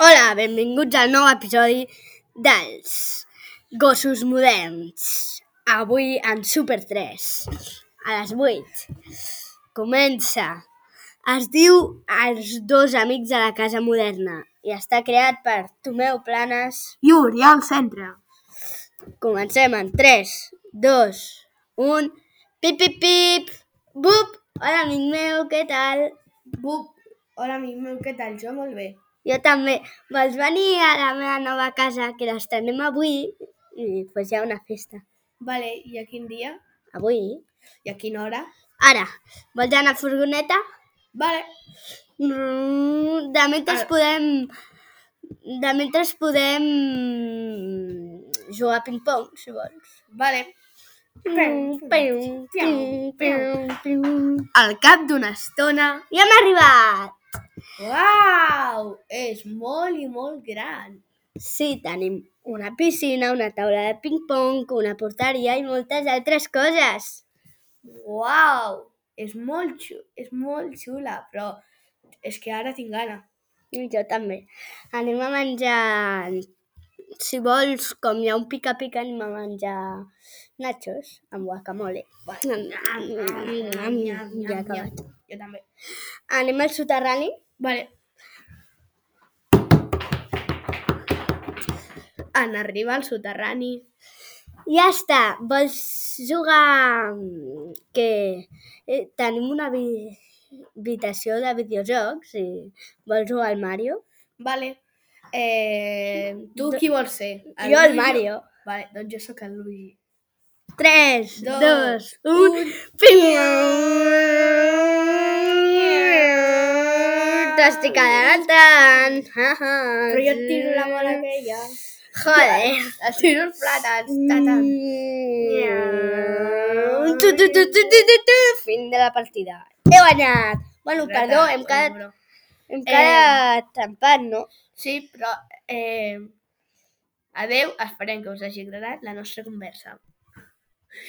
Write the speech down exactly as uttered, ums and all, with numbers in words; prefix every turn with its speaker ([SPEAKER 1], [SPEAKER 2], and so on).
[SPEAKER 1] Hola, benvinguts al nou episodi dels Gossos Moderns. Avui en Super tres, a les vuit. Comença. Es diu Els dos amics de la casa moderna i està creat per Tomeu Planes
[SPEAKER 2] i Oriol Centre.
[SPEAKER 1] Comencem en tres, dos, un... Pip, pip, pip! Bup! Hola, amic meu, què tal?
[SPEAKER 2] Bup! Hola, amic meu, què tal? Jo molt bé.
[SPEAKER 1] Jo també. Vols venir a la meva nova casa, que l'estrenem avui, i pues hi ha una festa.
[SPEAKER 2] Vale, i a quin dia?
[SPEAKER 1] Avui?
[SPEAKER 2] I a quina hora?
[SPEAKER 1] Ara, vols anar a furgoneta?
[SPEAKER 2] Vale.
[SPEAKER 1] De mentre
[SPEAKER 2] Ara.
[SPEAKER 1] podem... De mentre podem jugar a ping-pong, si vols.
[SPEAKER 2] Vale.
[SPEAKER 1] Al cap d'una estona ja hem arribat!
[SPEAKER 2] Uau! És molt i molt gran.
[SPEAKER 1] Sí, tenim una piscina, una taula de ping-pong, una porteria i moltes altres coses.
[SPEAKER 2] Uau! És molt xula, és molt xula, però és que ara tinc gana.
[SPEAKER 1] I jo també. Anem a menjar, si vols, com hi ha un pica-pica, anem a menjar nachos amb guacamole. Ja he acabat.
[SPEAKER 2] Jo també.
[SPEAKER 1] Anem al soterrani?
[SPEAKER 2] Vale. En arribar al soterrani.
[SPEAKER 1] Ja està. Vols jugar? Que eh, tenim una habitació de videojocs i vols jugar al Mario?
[SPEAKER 2] Vale. Eh, tu qui vols ser?
[SPEAKER 1] El jo el Mario.
[SPEAKER 2] Vale, doncs jo sóc el Luigi.
[SPEAKER 1] tres, dos, un... T'estic adelantant.
[SPEAKER 2] Però jo et tiro la bola aquella.
[SPEAKER 1] Joder.
[SPEAKER 2] Et tiro els plàtans. Tatan.
[SPEAKER 1] Tu, tu, tu, tu, tu, tu, tu. Fin de la partida. He guanyat. Bueno, perdó, hem quedat, hem quedat empat, no?
[SPEAKER 2] Sí, però... Eh, adeu, esperem que us hagi agradat la nostra conversa.